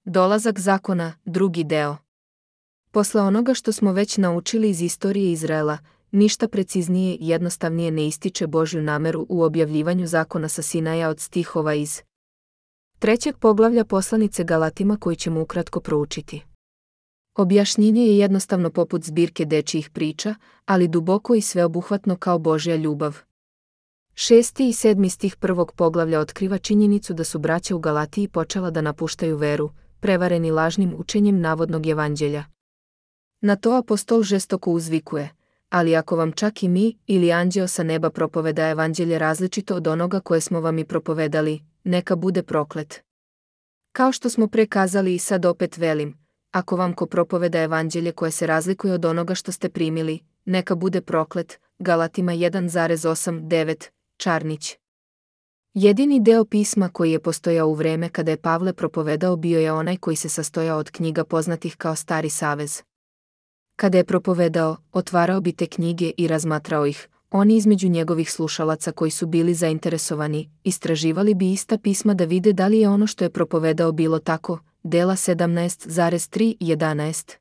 Dolazak zakona, drugi deo. Posle onoga što smo već naučili iz istorije Izraela, ništa preciznije i jednostavnije ne ističe Božju nameru u objavljivanju zakona sa Sinaja od stihova iz 3. poglavlja poslanice Galatima koji ćemo ukratko proučiti. Objašnjenje je jednostavno poput zbirke dečijih priča, ali duboko i sveobuhvatno kao Božja ljubav. 6. i 7. stih 1. poglavlja otkriva činjenicu da su braća u Galatiji počela da napuštaju veru, prevareni lažnim učenjem navodnog evanđelja. Na to apostol žestoko uzvikuje: ali ako vam čak i mi ili anđeo sa neba propoveda evanđelje različito od onoga koje smo vam i propovedali, neka bude proklet. Kao što smo pre kazali i sad opet velim, ako vam ko propoveda evanđelje koje se razlikuje od onoga što ste primili, neka bude proklet. Galatima 1,8-9, Čarnić. Jedini deo pisma koji je postojao u vreme kada je Pavle propovedao bio je onaj koji se sastojao od knjiga poznatih kao Stari savez. Kada je propovedao, otvarao bi te knjige i razmatrao ih. Oni između njegovih slušalaca koji su bili zainteresovani, istraživali bi ista pisma da vide da li je ono što je propovedao bilo tako. Dela 17,3-11.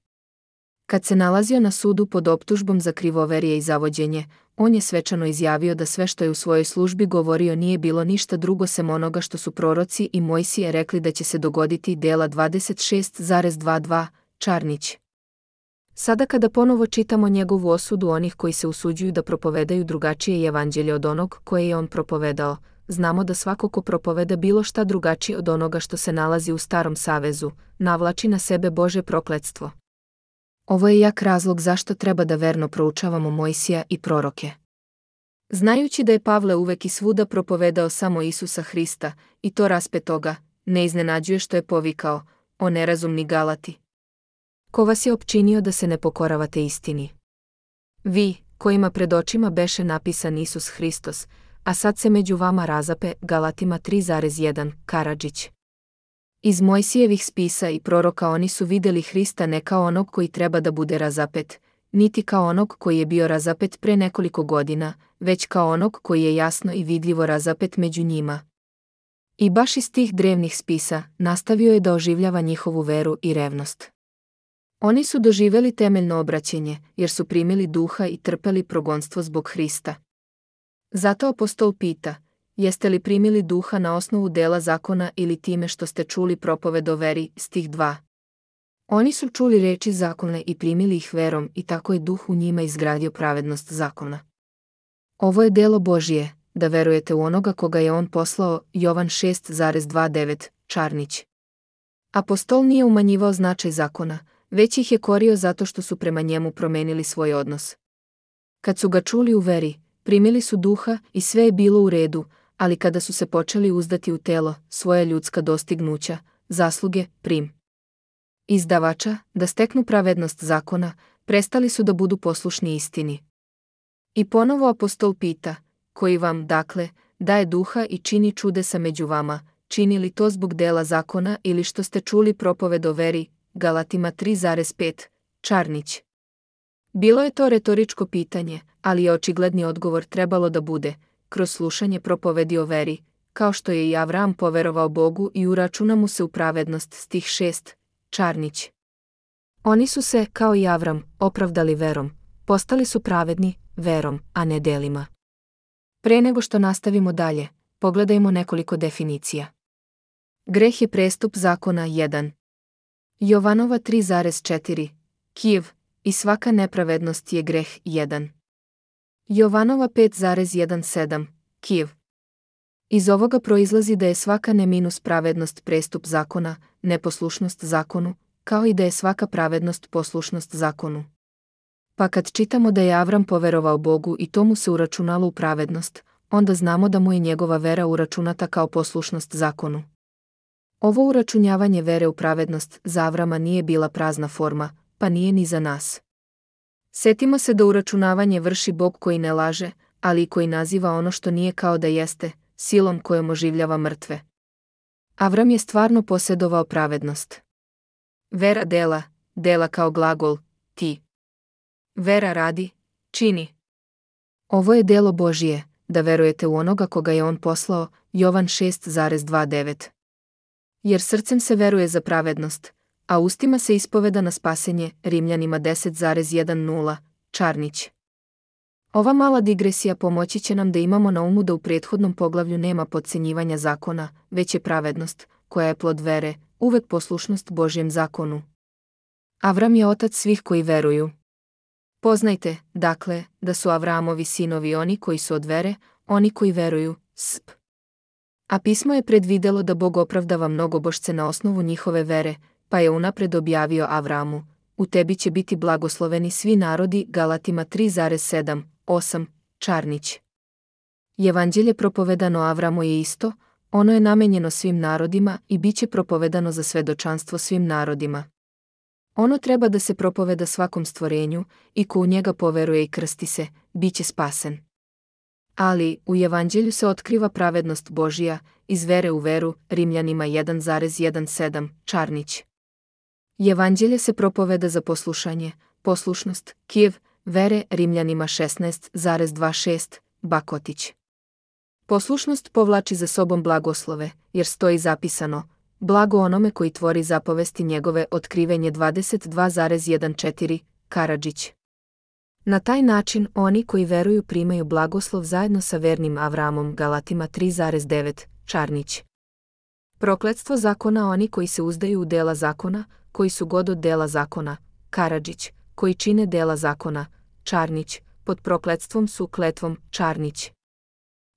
Kad se nalazio na sudu pod optužbom za krivoverije i zavođenje, on je svečano izjavio da sve što je u svojoj službi govorio nije bilo ništa drugo sem onoga što su proroci i Mojsije rekli da će se dogoditi. Dela 26,22, Čarnić. Sada kada ponovo čitamo njegovu osudu onih koji se usuđuju da propovedaju drugačije evanđelje od onog koje je on propovedao, znamo da svako ko propoveda bilo šta drugačije od onoga što se nalazi u Starom savezu, navlači na sebe Božje prokletstvo. Ovo je jak razlog zašto treba da verno proučavamo Mojsija i proroke. Znajući da je Pavle uvek i svuda propovedao samo Isusa Hrista, i to raspetoga, ne iznenađuje što je povikao: o nerazumni Galati! Ko vas je opčinio da se ne pokoravate istini? Vi, kojima pred očima beše napisan Isus Hristos, a sad se među vama razape. Galatima 3,1, Karadžić. Iz Mojsijevih spisa i proroka oni su vidjeli Hrista ne kao onog koji treba da bude razapet, niti kao onog koji je bio razapet pre nekoliko godina, već kao onog koji je jasno i vidljivo razapet među njima. I baš iz tih drevnih spisa nastavio je da oživljava njihovu veru i revnost. Oni su doživjeli temeljno obraćenje, jer su primili duha i trpeli progonstvo zbog Hrista. Zato apostol pita: jeste li primili duha na osnovu dela zakona ili time što ste čuli propoved o veri? Stih 2. Oni su čuli reči zakona i primili ih verom i tako je duh u njima izgradio pravednost zakona. Ovo je delo Božije, da verujete u onoga koga je on poslao. Jovan 6,29, Čarnić. Apostol nije umanjivao značaj zakona, već ih je korio zato što su prema njemu promenili svoj odnos. Kad su ga čuli u veri, primili su duha i sve je bilo u redu, ali kada su se počeli uzdati u telo, svoja ljudska dostignuća, zasluge, izdavača, da steknu pravednost zakona, prestali su da budu poslušni istini. I ponovo apostol pita: koji vam, dakle, daje duha i čini čudesa među vama, čini li to zbog dela zakona ili što ste čuli propoved o veri? Galatima 3,5, Čarnić. Bilo je to retoričko pitanje, ali je očigledni odgovor trebalo da bude: kroz slušanje propovedi o veri, kao što je i Avram poverovao Bogu i uračuna mu se u pravednost. Stih 6, Čarnić. Oni su se, kao i Avram, opravdali verom, postali su pravedni verom, a ne delima. Pre nego što nastavimo dalje, pogledajmo nekoliko definicija. Greh je prestup zakona 1. Jovanova 3,4, Kijev, i svaka nepravednost je greh 1. Jovanova 5,17, Kijev. Iz ovoga proizlazi da je svaka pravednost prestup zakona, neposlušnost zakonu, kao i da je svaka pravednost poslušnost zakonu. Pa kad čitamo da je Avram poverovao Bogu i to mu se uračunalo u pravednost, onda znamo da mu je njegova vera uračunata kao poslušnost zakonu. Ovo uračunjavanje vere u pravednost za Avrama nije bila prazna forma, pa nije ni za nas. Setimo se da uračunavanje vrši Bog koji ne laže, ali i koji naziva ono što nije kao da jeste, silom kojom oživljava mrtve. Avram je stvarno posjedovao pravednost. Vera dela kao glagol, ti. Vera radi, čini. Ovo je delo Božije, da verujete u onoga koga je on poslao. Jovan 6,29. Jer srcem se veruje za pravednost, a ustima se ispoveda na spasenje, Rimljanima 10,10, Čarnić. Ova mala digresija pomoći će nam da imamo na umu da u prethodnom poglavlju nema potcenjivanja zakona, već je pravednost, koja je plod vere, uvek poslušnost Božjem zakonu. Avram je otac svih koji veruju. Poznajte, dakle, da su Avramovi sinovi oni koji su od vere, oni koji veruju, sp. A pismo je predvidelo da Bog opravdava mnogobošce na osnovu njihove vere, pa je unapred objavio Avramu: u tebi će biti blagosloveni svi narodi, Galatima 3,7-8, Čarnić. Evanđelje propovedano Avramu je isto, ono je namenjeno svim narodima i bit će propovedano za svedočanstvo svim narodima. Ono treba da se propoveda svakom stvorenju i ko u njega poveruje i krsti se, bit će spasen. Ali, u Evanđelju se otkriva pravednost Božija, iz vere u veru, Rimljanima 1,17, Čarnić. Evanđelje se propoveda za poslušanje, poslušnost, Kijev, vere, Rimljanima 16,26, Bakotić. Poslušnost povlači za sobom blagoslove, jer stoji zapisano: blago onome koji tvori zapovesti njegove, Otkrivenje 22,14, Karadžić. Na taj način oni koji veruju primaju blagoslov zajedno sa vernim Avramom, Galatima 3,9, Čarnić. Prokletstvo zakona oni koji se uzdaju u dela zakona, koji su god od dela zakona, Karadžić, koji čine dela zakona, Čarnić, pod prokletstvom su kletvom, Čarnić.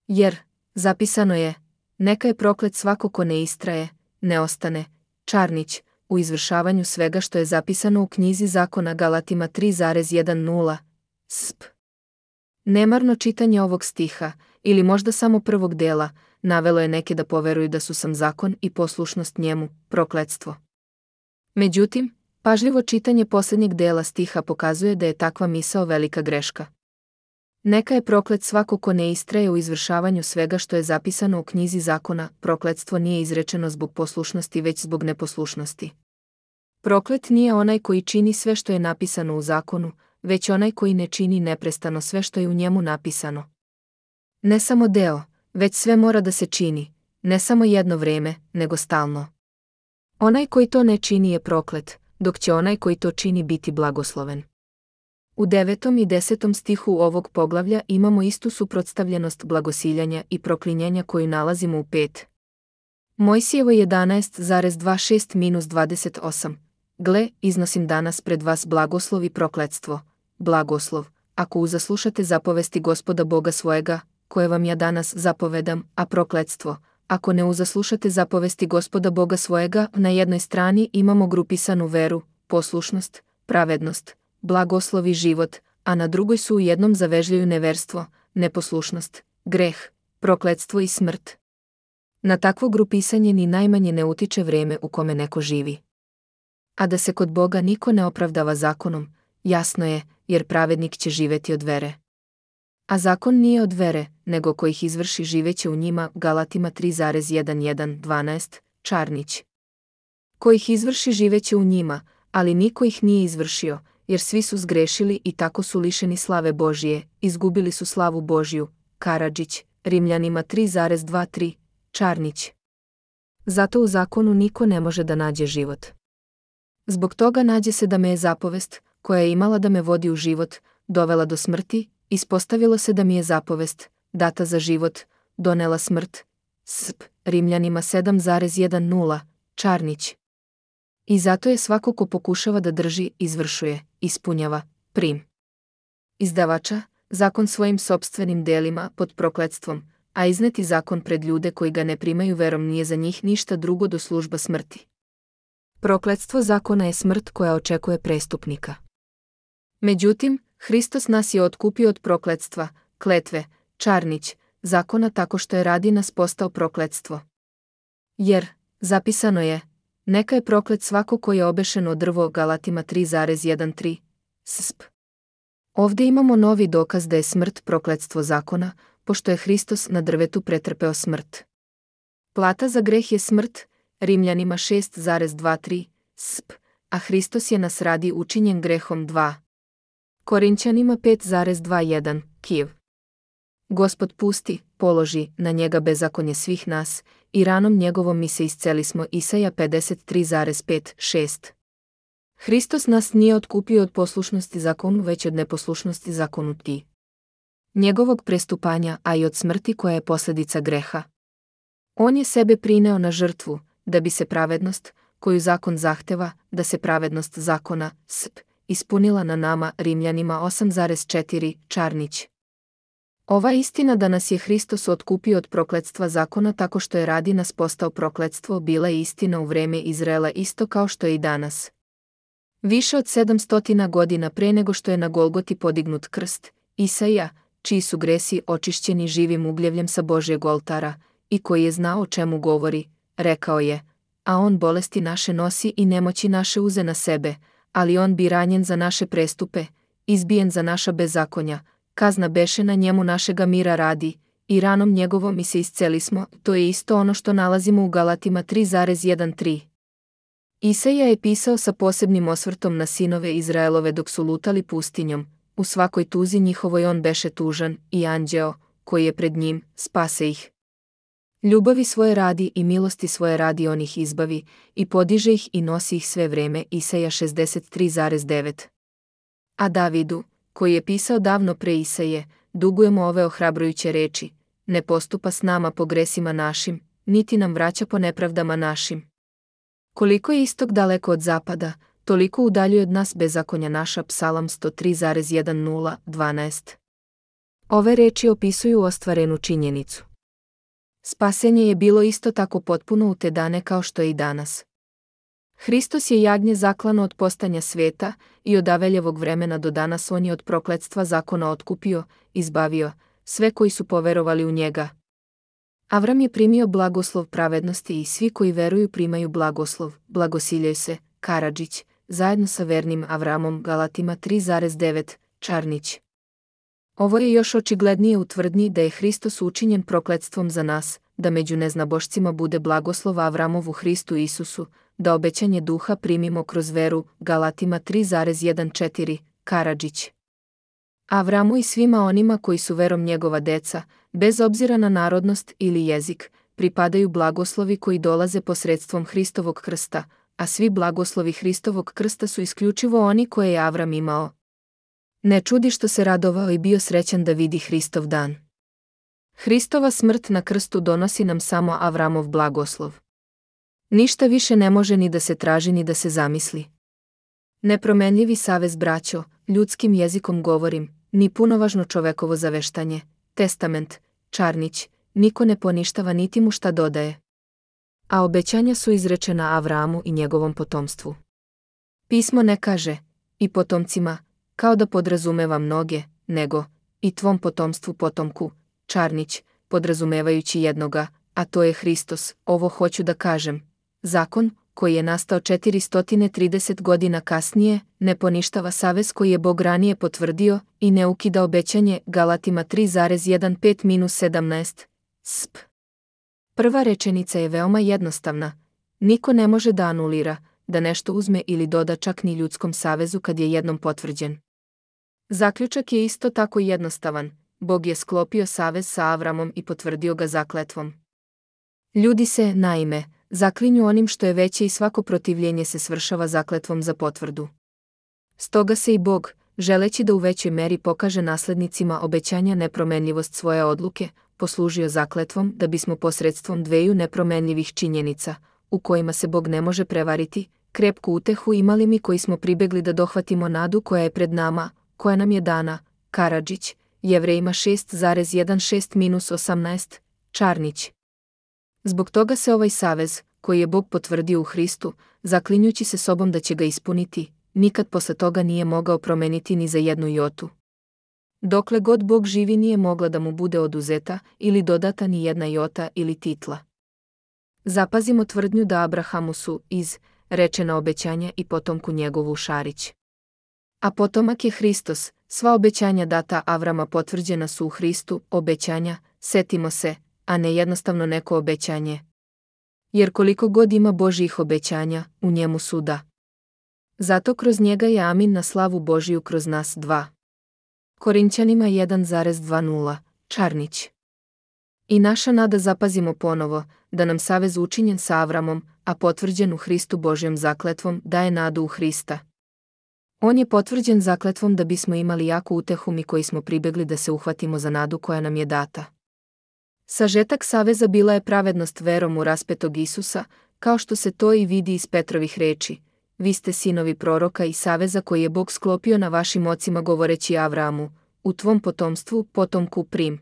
Jer, zapisano je, neka je proklet svako ko ne istraje, ne ostane, Čarnić, u izvršavanju svega što je zapisano u knjizi zakona, Galatima 3,10, sp. Nemarno čitanje ovog stiha, ili možda samo prvog dela, navelo je neke da poveruju da su sam zakon i poslušnost njemu, prokletstvo. Međutim, pažljivo čitanje posljednjeg dela stiha pokazuje da je takva misao velika greška. Neka je proklet svako ko ne istraje u izvršavanju svega što je zapisano u knjizi zakona, prokletstvo nije izrečeno zbog poslušnosti već zbog neposlušnosti. Proklet nije onaj koji čini sve što je napisano u zakonu, već onaj koji ne čini neprestano sve što je u njemu napisano. Ne samo deo, već sve mora da se čini, ne samo jedno vreme, nego stalno. Onaj koji to ne čini je proklet, dok će onaj koji to čini biti blagosloven. U 9. i 10. stihu ovog poglavlja imamo istu suprotstavljenost blagosiljanja i proklinjanja koju nalazimo u 5. Mojsijevo 11,26-28. Gle, iznosim danas pred vas blagoslov i prokletstvo. Blagoslov, ako uzaslušate zapovesti Gospoda Boga svojega, koje vam ja danas zapovedam, a prokletstvo, ako ne uzaslušate zapovesti Gospoda Boga svojega. Na jednoj strani imamo grupisanu veru, poslušnost, pravednost, blagoslov i život, a na drugoj su u jednom zavežljaju neverstvo, neposlušnost, greh, prokletstvo i smrt. Na takvo grupisanje ni najmanje ne utiče vreme u kome neko živi. A da se kod Boga niko ne opravdava zakonom, jasno je, jer pravednik će živeti od vere. A zakon nije od vere, nego ko ih izvrši živeće u njima, Galatima 3,11-12, Čarnić. Ko ih izvrši živeće u njima, ali niko ih nije izvršio, jer svi su zgrešili i tako su lišeni slave Božije, izgubili su slavu Božju, Karadžić, Rimljanima 3,23, Čarnić. Zato u zakonu niko ne može da nađe život. Zbog toga nađe se da me je zapovest, koja je imala da me vodi u život, dovela do smrti, ispostavilo se da mi je zapovest, data za život, donela smrt, sp. Rimljanima 7,10, Čarnić. I zato je svako ko pokušava da drži, izvršuje, ispunjava, prim. Izdavača, zakon svojim sopstvenim delima pod prokletstvom, a izneti zakon pred ljude koji ga ne primaju verom nije za njih ništa drugo do služba smrti. Prokletstvo zakona je smrt koja očekuje prestupnika. Međutim, Hristos nas je otkupio od prokletstva, kletve, Čarnić, zakona tako što je radi nas postao prokletstvo. Jer, zapisano je, neka je proklet svako ko je obešen o drvo, Galatima 3,13, sp. Ovdje imamo novi dokaz da je smrt prokletstvo zakona, pošto je Hristos na drvetu pretrpeo smrt. Plata za greh je smrt, Rimljanima 6,23, sp. A Hristos je nas radi učinjen grehom 2. Korinćanima 5,21, Kijev. Gospod pusti, položi na njega bezakonje svih nas, i ranom njegovom mi se iscelismo. Isaja 53,5-6. Hristos nas nije otkupio od poslušnosti zakonu, već od neposlušnosti zakonu ti. Njegovog prestupanja, a i od smrti koja je posljedica greha. On je sebe prineo na žrtvu, da bi se pravednost, koju zakon zahteva, da se pravednost zakona, ispunila na nama. Rimljanima 8,4. Čarnić. Ova istina da nas je Hristos otkupio od prokletstva zakona tako što je radi nas postao prokletstvo bila je istina u vreme Izraela isto kao što je i danas. Više od 700 godina pre nego što je na Golgoti podignut krst, Isaija, čiji su gresi očišćeni živim ugljevljem sa Božjeg oltara, i koji je znao o čemu govori, rekao je: a on bolesti naše nosi i nemoći naše uze na sebe, ali on bi ranjen za naše prestupe, izbijen za naša bezakonja, kazna beše na njemu našega mira radi, i ranom njegovom mi se iscelismo. To je isto ono što nalazimo u Galatima 3,1-3. Isaija je pisao sa posebnim osvrtom na sinove Izraelove dok su lutali pustinjom, u svakoj tuzi njihovoj on beše tužan, i anđeo, koji je pred njim, spase ih. Ljubavi svoje radi i milosti svoje radi on ih izbavi, i podiže ih i nosi ih sve vreme. Isaija 63,9. A Davidu, koji je pisao davno pre Isaije, dugujemo ove ohrabrujuće reči: ne postupa s nama po gresima našim, niti nam vraća po nepravdama našim. Koliko je istok daleko od zapada, toliko udaljuje od nas bezakonja naša. Psalam 103,10-12. Ove reči opisuju ostvarenu činjenicu. Spasenje je bilo isto tako potpuno u te dane kao što je i danas. Hristos je jagnje zaklano od postanja sveta, i od Aveljevog vremena do danas on je od prokletstva zakona otkupio, izbavio sve koji su poverovali u njega. Avram je primio blagoslov pravednosti i svi koji veruju primaju blagoslov. Blagosiljaju se. Karadžić, zajedno sa vernim Avramom. Galatima 3,9. Čarnić. Ovo je još očiglednije u tvrdnji da je Hristos učinjen prokletstvom za nas, da među neznabošcima bude blagoslov Avramov u Hristu Isusu, da obećanje duha primimo kroz veru. Galatima 3,1-4. Karadžić. Avramu i svima onima koji su verom njegova deca, bez obzira na narodnost ili jezik, pripadaju blagoslovi koji dolaze posredstvom Hristovog krsta, a svi blagoslovi Hristovog krsta su isključivo oni koje je Avram imao. Ne čudi što se radovao i bio srećan da vidi Hristov dan. Hristova smrt na krstu donosi nam samo Avramov blagoslov. Ništa više ne može ni da se traži ni da se zamisli. Nepromenljivi savez, braćo, ljudskim jezikom govorim, ni punovažno čovekovo zaveštanje, testament, Čarnić, niko ne poništava niti mu šta dodaje. A obećanja su izrečena Avramu i njegovom potomstvu. Pismo ne kaže, i potomcima, kao da podrazumeva mnoge, nego, i tvom potomstvu potomku, Čarnić, podrazumevajući jednoga, a to je Hristos. Ovo hoću da kažem. Zakon, koji je nastao 430 godina kasnije, ne poništava savez koji je Bog ranije potvrdio i ne ukida obećanje. Galatima 3,15-17. Sp. Prva rečenica je veoma jednostavna. Niko ne može da anulira, da nešto uzme ili doda čak ni ljudskom savezu kad je jednom potvrđen. Zaključak je isto tako jednostavan. Bog je sklopio savez sa Avramom i potvrdio ga zakletvom. Ljudi se, naime, zaklinju onim što je veće i svako protivljenje se svršava zakletvom za potvrdu. Stoga se i Bog, želeći da u većoj meri pokaže naslednicima obećanja nepromenljivost svoje odluke, poslužio zakletvom da bismo posredstvom dveju nepromenljivih činjenica, u kojima se Bog ne može prevariti, krepku utehu imali mi koji smo pribegli da dohvatimo nadu koja je pred nama, koja nam je dana. Karadžić, Jevrejima 6,16-18. Čarnić. Zbog toga se ovaj savez, koji je Bog potvrdio u Hristu, zaklinjući se sobom da će ga ispuniti, nikad posle toga nije mogao promeniti ni za jednu jotu. Dokle god Bog živi nije mogla da mu bude oduzeta ili dodata ni jedna jota ili titla. Zapazimo tvrdnju da Abrahamu su rečena obećanja i potomku njegovu Šarić. A potomak je Hristos, sva obećanja data Avrama potvrđena su u Hristu, obećanja, setimo se, a ne jednostavno neko obećanje. Jer koliko god ima Božjih obećanja, u njemu su da. Zato kroz njega je amin na slavu Božiju kroz nas. 2. Korinćanima 1,20. Čarnić. I naša nada zapazimo ponovo, da nam savez učinjen sa Avramom, a potvrđen u Hristu Božjom zakletvom, daje nadu u Hrista. On je potvrđen zakletvom da bismo imali jaku utehu mi koji smo pribegli da se uhvatimo za nadu koja nam je data. Sažetak saveza bila je pravednost verom u raspetog Isusa, kao što se to i vidi iz Petrovih reči. Vi ste sinovi proroka i saveza koji je Bog sklopio na vašim ocima govoreći Avramu, u tvom potomstvu, potomku prim.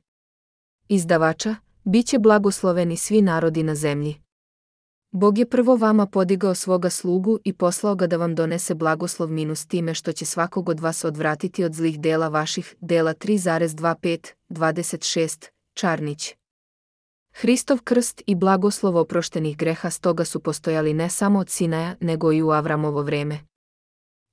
Izdavača, bit će blagosloveni svi narodi na zemlji. Bog je prvo vama podigao svoga slugu i poslao ga da vam donese blagoslov minus time što će svakog od vas odvratiti od zlih dela vaših, dela 3,25-26, Čarnić. Hristov krst i blagoslov oproštenih greha stoga su postojali ne samo od Sinaja, nego i u Avramovo vreme.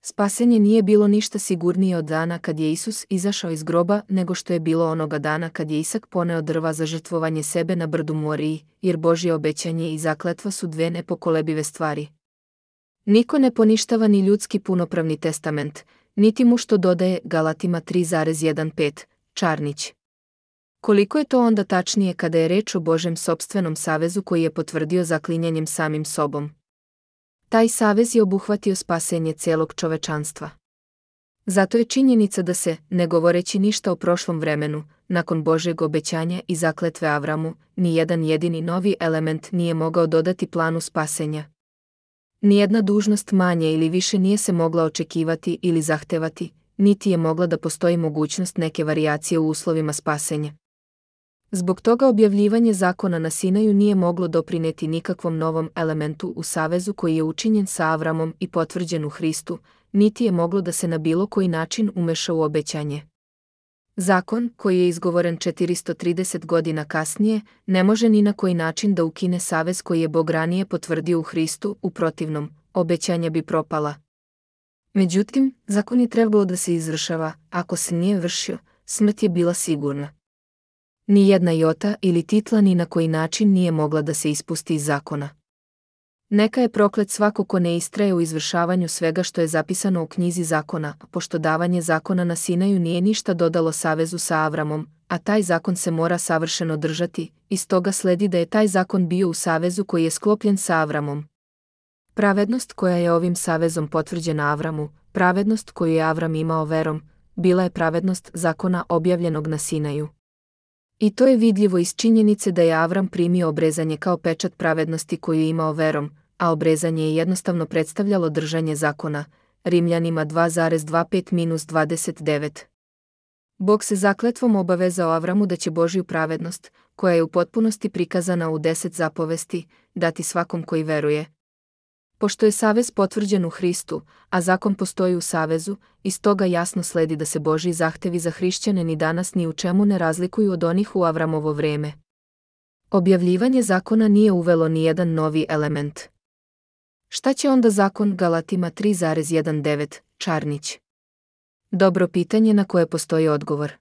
Spasenje nije bilo ništa sigurnije od dana kad je Isus izašao iz groba nego što je bilo onoga dana kad je Isak poneo drva za žrtvovanje sebe na brdu Moriji, jer Božje obećanje i zakletva su dve nepokolebive stvari. Niko ne poništava ni ljudski punopravni testament, niti mu što dodaje Galatima 3,15, Čarnić. Koliko je to onda tačnije kada je reč o Božjem sopstvenom savezu koji je potvrdio zaklinjanjem samim sobom. Taj savez je obuhvatio spasenje celog čovečanstva. Zato je činjenica da se, ne govoreći ništa o prošlom vremenu, nakon Božjeg obećanja i zakletve Avramu, ni jedan jedini novi element nije mogao dodati planu spasenja. Nijedna dužnost manje ili više nije se mogla očekivati ili zahtevati, niti je mogla da postoji mogućnost neke varijacije u uslovima spasenja. Zbog toga objavljivanje zakona na Sinaju nije moglo doprineti nikakvom novom elementu u savezu koji je učinjen sa Avramom i potvrđen u Hristu, niti je moglo da se na bilo koji način umeša u obećanje. Zakon, koji je izgovoren 430 godina kasnije, ne može ni na koji način da ukine savez koji je Bog ranije potvrdio u Hristu, u protivnom, obećanja bi propala. Međutim, zakon je trebalo da se izvršava, ako se nije vršio, smrt je bila sigurna. Ni jedna jota ili titla ni na koji način nije mogla da se ispusti iz zakona. Neka je proklet svako ko ne istraje u izvršavanju svega što je zapisano u knjizi zakona, pošto davanje zakona na Sinaju nije ništa dodalo savezu sa Avramom, a taj zakon se mora savršeno držati, iz toga sledi da je taj zakon bio u savezu koji je sklopljen sa Avramom. Pravednost koja je ovim savezom potvrđena Avramu, pravednost koju je Avram imao verom, bila je pravednost zakona objavljenog na Sinaju. I to je vidljivo iz činjenice da je Avram primio obrezanje kao pečat pravednosti koju je imao verom, a obrezanje je jednostavno predstavljalo držanje zakona, Rimljanima 2,25-29. Bog se zakletvom obavezao Avramu da će Božju pravednost, koja je u potpunosti prikazana u 10 zapovesti, dati svakom koji veruje. Pošto je savez potvrđen u Hristu, a zakon postoji u savezu, iz toga jasno sledi da se Božji zahtevi za hrišćane ni danas ni u čemu ne razlikuju od onih u Avramovo vreme. Objavljivanje zakona nije uvelo ni jedan novi element. Šta će onda zakon Galatima 3,19, Čarnić? Dobro pitanje na koje postoji odgovor.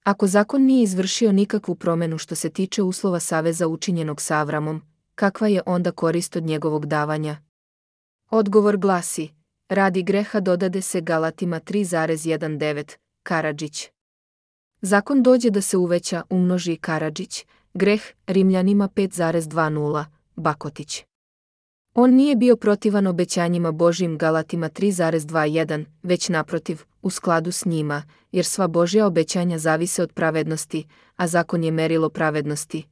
Ako zakon nije izvršio nikakvu promenu što se tiče uslova saveza učinjenog sa Avramom, kakva je onda korist od njegovog davanja? Odgovor glasi, radi greha dodade se Galatima 3,19, Karadžić. Zakon dođe da se uveća, umnoži Karadžić, greh Rimljanima 5,20, Bakotić. On nije bio protivan obećanjima Božjim Galatima 3,21, već naprotiv, u skladu s njima, jer sva Božja obećanja zavise od pravednosti, a zakon je merilo pravednosti.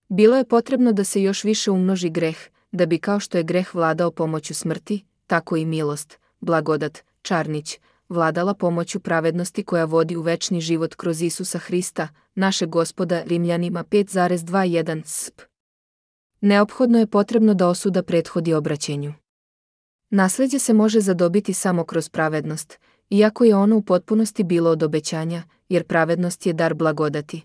Bilo je potrebno da se još više umnoži greh, da bi kao što je greh vladao pomoću smrti, tako i milost, blagodat, Čarnić, vladala pomoću pravednosti koja vodi u večni život kroz Isusa Hrista, našeg Gospoda, Rimljanima 5,21 sp. Neophodno je potrebno da osuda prethodi obraćenju. Nasleđe se može zadobiti samo kroz pravednost, iako je ono u potpunosti bilo od obećanja, jer pravednost je dar blagodati.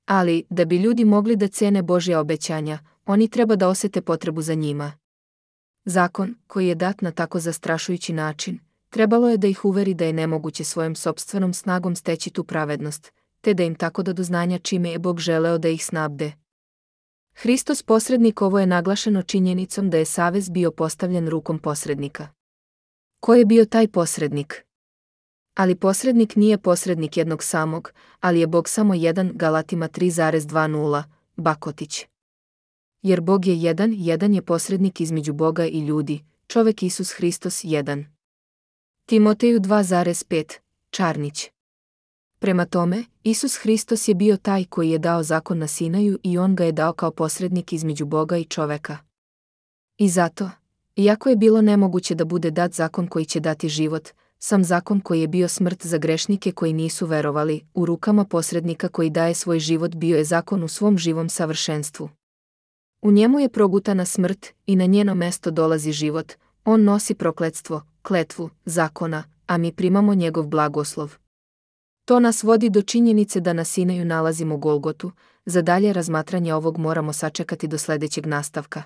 Ali, da bi ljudi mogli da cene Božja obećanja, oni treba da osete potrebu za njima. Zakon, koji je dat na tako zastrašujući način, trebalo je da ih uveri da je nemoguće svojom sopstvenom snagom steći tu pravednost, te da im tako da do znanja čime je Bog želeo da ih snabde. Hristos posrednik, ovo je naglašeno činjenicom da je savez bio postavljen rukom posrednika. Ko je bio taj posrednik? Ali posrednik nije posrednik jednog samog, ali je Bog samo jedan. Galatima 3,20, Bakotić. Jer Bog je jedan, jedan je posrednik između Boga i ljudi, čovek Isus Hristos jedan. Timoteju 2,5, Čarnić. Prema tome, Isus Hristos je bio taj koji je dao zakon na Sinaju i on ga je dao kao posrednik između Boga i čoveka. I zato, iako je bilo nemoguće da bude dat zakon koji će dati život, sam zakon koji je bio smrt za grešnike koji nisu verovali, u rukama posrednika koji daje svoj život bio je zakon u svom živom savršenstvu. U njemu je progutana smrt i na njeno mesto dolazi život, on nosi prokletstvo, kletvu, zakona, a mi primamo njegov blagoslov. To nas vodi do činjenice da na Sinaju nalazimo Golgotu, za dalje razmatranje ovog moramo sačekati do sledećeg nastavka.